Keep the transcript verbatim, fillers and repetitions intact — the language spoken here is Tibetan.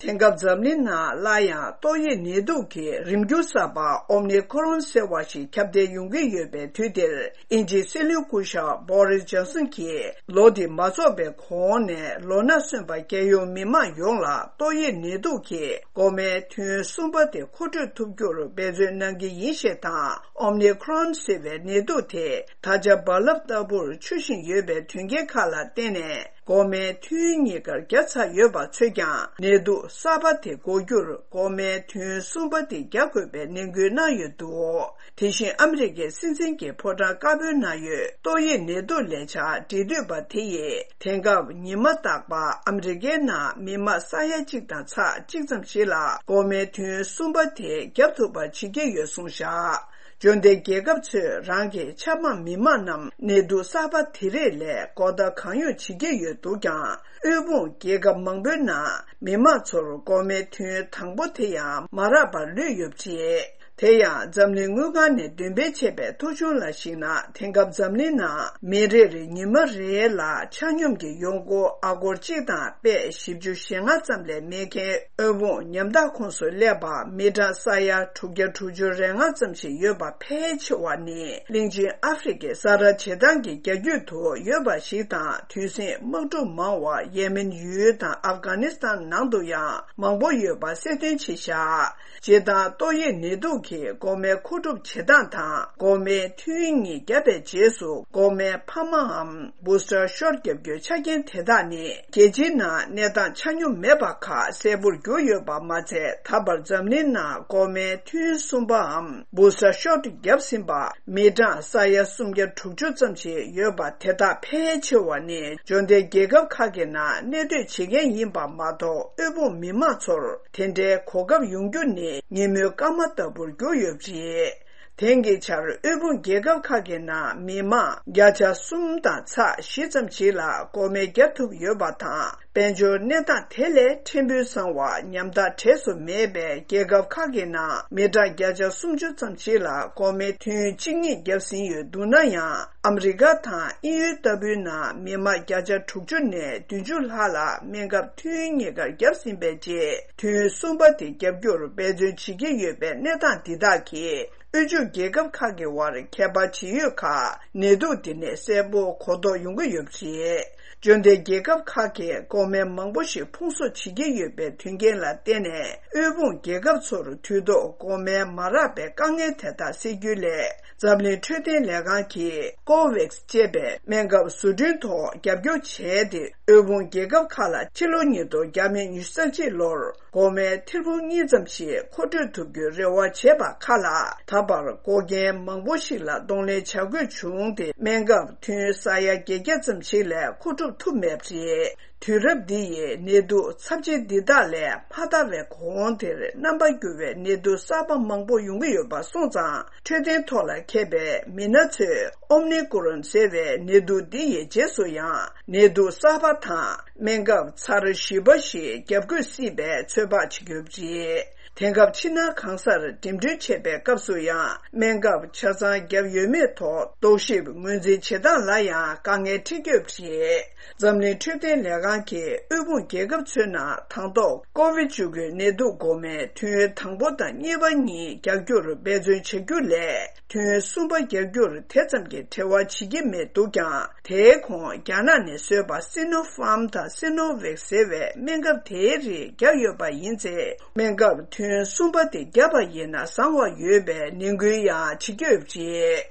དེང་སྐབས་འཛམ་གླིང་ནང་སླར་ཡང་ཏོག་དབྱིབས་ནད་དུག་གི་རིམས་འགྱུར་གསར་པ་ཨོ་མི་ཁོ་རོན་ཟེར་བ་ཞིག་ཁྱབ་གདལ་ཡོང་གི་ཡོད་པའི་དུས་འདིར། དབྱིན་ཇིའི་སྲིད་བློན་སྐུ་ཞབས་བྷོ་རིས་ཇོན་སན་གྱིས་ལོ་འདི་མ་རྫོགས་པའི་གོང་ནས་ལོ་ན་སོན་པ་རྒྱལ་ཡོངས་མི་མང་ཡོངས་ལ་ཏོག་དབྱིབས་ནད་དུག་གི་འགོག་སྨན་ཐུན་གསུམ་པ་དེ་མཁོ་སྤྲོད་ཐུབ་རྒྱུར་འབད་བརྩོན་གནང་གི་ཡིན་ཞེས་དང་། ཨོ་མི་ཁོ་རོན་ཟེར་བའི་ནད་དུག་དེ་ད་ཆ་རྦ་རླབས་ལྟ་བུར་འཕྱུར་བཞིན་ཡོད་པའི་དོན་རྐྱེན་ཁག་ལ་བརྟེན་ནས། འགོག་སྨན་ཐུན་གཉིས་ཀར་བརྒྱབ་ཚར་ཡོད་པ་ཚོས་ཀྱང་ནད་དུག་གསར་པ་དེ་འགོག་རྒྱུར་འགོག་སྨན་ཐུན་གསུམ་པ་དེ་རྒྱག་དགོས་པའི་ནན་སྐུལ་གནང་ཡོད་འདུག་དེ་བཞིན་ཨ་མི་རི་ཀའི་སྲིད་འཛིན་གྱི་ཕོ་བྲང་དཀར་པོའི་ནང་ཡོད་ཏོག་དབྱིབས་ནད་དུག་ལས་འཆར་འབྲེལ་མཐུད་པ་དེ་ཡིས་དེང་སྐབས་ཉི་མ་རྟག་པར་ཨ་མི་རི་ཀའི་ནང་མི་མང་ས་ཡ་གཅིག་དང་ཚེག་གཅིག་ཙམ་ཞིག་ལ་འགོག་སྨན་ཐུན་གསུམ་པ་དེ་བརྒྱབ་ཐུབ་པ་བྱེད་ཀྱི་ཡོད་གསུངས་བཞག་འབྱོར་ལྡན་རྒྱལ་ཁབ་ཚོས་རང་གི་ཆབ་འབངས་མི་མང་རྣམས་ནད་དུག་གསར་པ་དེ་རིགས་ལས་འགོག་ཐབས་གང་ཡོང་བྱེད་ཀྱི་ཡོད་འདུག་ཀྱང་། དབུལ་ཕོངས་རྒྱལ་ཁབ་མང་པོའི་ནང་མི་མང་ཚོར་འགོག་སྨན་ཐུན་དང་པོ་དེ་ཡང་མ་རག་པར་ལུས་ཡོད་པ་རེད། དེ་ཡང་འཛམ་གླིང་དངུལ་ཁང་ནས་འདོན་སྤེལ་བྱས་པའི་ཐོ་གཞུང་ལ་གཞིགས་ན། དེང་སྐབས་འཛམ་གླིང་ནང་མི་རེ་རེ་ཉི་མ་རེ་ལ་ཆ་སྙོམས་ཀྱི་ཡོང་སྒོ་ཨ་སྒོར་གཅིག་དང་པད་བཞི་བཅུ་ཞེ་ལྔ་ཙམ་ལས་མེད་མཁན། དབུལ་ཕོངས་ཉམ་ཐག་ཁོངས་སུ་སླེབས་པ་མི་གྲངས་ས་ཡ་དྲུག་བརྒྱ་དྲུག་ཅུ་རེ་ལྔ་ཙམ་ཞིག་ཡོད་པ་ཕལ་ཆེ་བ་ནི་གླིང་ཆེན་ཨ་ཧྥེ་རི་ཁའི་ས་ར་བྱེ་ཐང་གི་རྒྱ་ཁྱོན་དུ་ཡོད་པ་ཞིག་དང་། དུས་ཟིང་དམག་འཁྲུག་མང་བ་ཡེ་མེན་ཡུལ་དང་ཨབ་གྷ་ནི་སི་ཐན་ནང་དུ་ཡང་མང་པོ་ཡོད་པ་གསལ་སྟོན་བྱས་བཞག་སྤྱིར་བཏང་ཏོག་དབྱིབས་ནད་དུག་གི་འགོག་སྨན་མཁོ་སྒྲུབ་བྱེད་སྟངས་དང་། འགོག་སྨན་ཐུན་གཉིས་བརྒྱབ་པའི་རྗེས་སུ་འགོག་སྨན་འཕར་མའམ་བུ་སི་ཊར་ཤོཊ་བརྒྱབ་རྒྱུའི་ཆ་རྐྱེན་དེ་དག་ནི། རྒྱལ་སྤྱིའི་ནང་གནས་སྟངས་ཆ་སྙོམས་མེད་པ་ཁག་གསལ་པོར་གྱུར་ཡོད་པ་མ་ཚད། ད་བར་འཛམ་གླིང་ནང་འགོག་སྨན་ཐུན་གསུམ་པའམ་བུ་སི་ཊར་ཤོཊ་བརྒྱབ་ཟིན་པ་མི་གྲངས་ས་ཡ་སུམ་བརྒྱ་དྲུག་ཅུ་ཙམ་ཞིག་ཡོད་པ། དེ་དག་ཕལ་ཆེ་བ་ནི་འབྱོར་ལྡན་རྒྱལ་ཁབ་ཁག་གི་ནང་གནས་སྡོད་བྱེད་མཁན་ཡིན་པ་མ་གཏོགས། དབུལ་ཕོངས་མི་མང་ཚོར་དེ་འདྲའི་གོ་སྐབས་ཡོང་རྒྱུ་ནི་ཉིན་མོའི་སྐར་མ་ལྟ་བུར་གྱུར་ཡོད་པ་རེད། དེང་གི་ཆར་དབུལ་ཕོངས་རྒྱལ་ཁབ་ཁག་གི་ནང་མི་མང་བརྒྱ་ཆ་གསུམ་དང་ཚེག་བཞི་ཙམ་ཞིག་ལ་འགོག་སྨན་བརྒྱབ་ཐུབ་ཡོད་པ་དང་། དཔལ་འབྱོར་གནས་སྟངས་དེ་ལས་ཕྲན་བུ་བཟང་བ་ཉམ་ཐག་གྲས་སུ་མེད་པའི་རྒྱལ་ཁབ་ཁག་གི་ནང་མི་གྲངས་བརྒྱ་ཆ་སུམ་ཅུ་ཙམ་ཞིག་ལ་འགོག་སྨན་ཐུན་གཅིག་གཉིས་བརྒྱབ་ཟིན་ཡོད་འདུག་ན་ཡང་། ཨ་མི་རི་ཀ་དང་དབྱིན་ཡུལ་ལྟ་བུའི་ནང་མི་མང་བརྒྱ་ཆ་དྲུག་ཅུ་ནས་བདུན་ཅུ་ལྷག་ལ་སྨན་ཁབ་ཐུན་གཉིས་ཀར་བརྒྱབ་ཟིན་པའི་རྗེས། ཐུན་གསུམ་པ་དེ་བརྒྱབ་རྒྱུར་འབད་བརྩོན་བྱེད་ཀྱི་ཡོད་པའི་གནས་སྟངས་འདི་དག་གིས། དབུལ་ཕྱུག་རྒྱལ་ཁབ་ཁག་གི་དབར་ཁྱད་པར་ཇི་ཡོད་ཁག་ནད་དུག་འདི་ནས་གསལ་པོ་གོ་རྟོགས་ཡོང་གི་ཡོད་པ་རེད། འབྱོར་ལྡན་རྒྱལ་ཁབ་ཁག་གིས་འགོག་སྨན་མང་པོ་ཞིག་ཕུང་གསོག་བྱེད་ཀྱི་ཡོད་པའི་དོན་རྐྱེན་ལ་བརྟེན་ནས། དབུལ་ཕོངས་རྒྱལ་ཁབ་ཚོར་དུས་ཐོག་འགོག་སྨན་མ་རག་པའི་དཀའ་ངལ་དེ་དག་སེལ་རྒྱུ་ལས། འཛམ་གླིང་འཕྲོད་བསྟེན་ལས་ཁང་གིས་ཀོ་ཝེག་སི་ཅེས་པའི་སྨན་ཁབ་བཟོ་སྐྲུན་ཐོག་རྒྱབ་སྐྱོར་བྱས་ཏེ། དབུལ་ཕོངས་རྒྱལ་ཁབ་ཁག་ལ་ཕྱི་ལོ་ཉིས་སྟོང་ཉི་ཤུ་རྩ་གཅིག་ལོར་འགོག་སྨན་ཐེར་འབུམ་གཉིས་ཙམ་ཞིག་མཁོ་སྤྲོད་ཐུབ་རྒྱུའི་རེ་བ་བྱས་པ་ཁག་ལ། ད་བར་འགོག་རྐྱེན་མང་པོ་ཞིག་ལ་གདོང་ལེན་བྱ་དགོས་བྱུང་སྟེ། སྨན་ཁབ་ཐུན་ས་ཡ་བརྒྱད་བརྒྱ་ཙམ་ཞིག་ལས་མཁོ་སྒྲུབ་ཐུབ་མེད་པ་རེད། དུས་རབས་འདི་ཡི་ནད་དུག་ཚབས་ཆེ་འདི་དག་ལས་མ་ཐར་བའི་གོང་དེར་རྣམ་པ་འགྱུར་བའི་ནད་དུག་གསར་པ་མང་པོ་ཡོང་གི་ཡོད་པ་སོང་ཙང་། འཕྲོད་བསྟེན་ཐོག་ལ་མཁས་པའི་མི་སྣ་ཚོས་ཨོམ་ནི་ཀོ་རོན་ཟེར་བའི་ནད་དུག་འདི་ཡི་རྗེས་སུ་ཡང་ནད་དུག་གསར་པ་དང་སྨན་ཁབ་ཚར་བཞི་པ་ཞིག་བརྒྱབ་དགོས་སྲིད་པའི་ཚོད་དཔག་བྱེད་ཀྱི་ཡོད་པ་རེད། དེང་སྐབས་ཕྱི་ནང་གང་སར་འགྲིམ་འགྲུལ་བྱེད་པའི་སྐབས་སུ་ཡང་སྨན་ཁབ་ཆ་ཚང་བརྒྱབ་ཡོད་མེད་ཐོག་རྟོག་ཞིབ་ངོས་འཛིན་བྱེད་སྟངས་ལ་ཡང་དཀའ་ངལ་འཕྲད་ཀྱི་ཡོད་པ་རེད། འཛམ་གླིང་འཕྲོད་བསྟེན་ལས་ཁང་གིས་དབུལ་ཕོངས་རྒྱལ་ཁབ་ཚོའི་ནང་དང་ཐོག་ཀོ་ཝིཌ་བཅུ་དགུ་ནད་དུག་འགོག་སྨན་ཐུན་དང་པོ་དང་གཉིས་པ་གཉིས་རྒྱག་རྒྱུར་འབད་བརྩོན་བྱ་རྒྱུ་sleh། ཐུན་གསུམ་པ་རྒྱག་རྒྱུར་དེ་ཙམ་གྱི་བྲེལ་བ་བྱེད་ཀྱི་མེད་འདུག་ཀྱང་། དེའི་གོང་རྒྱ་ནག་ནས་བཟོས་པ་སི་ནོ་ཕཱམ་དང་སི་ནོ་ཝེག་ཟེར་བའི་སྨན་ཁབ་དེའི་རིགས་བརྒྱབ་ཡོད་པ་ཡིན་ཚེ། སྨན་ཁབ་ཐུན་གསུམ་པ་དེ་བརྒྱབ་པ་ཡིན་ན་བཟང་བ་ཡོད་པའི་ནན་སྐུལ་ཡང་བྱེད་ཀྱི་ཡོད་པ་རེད།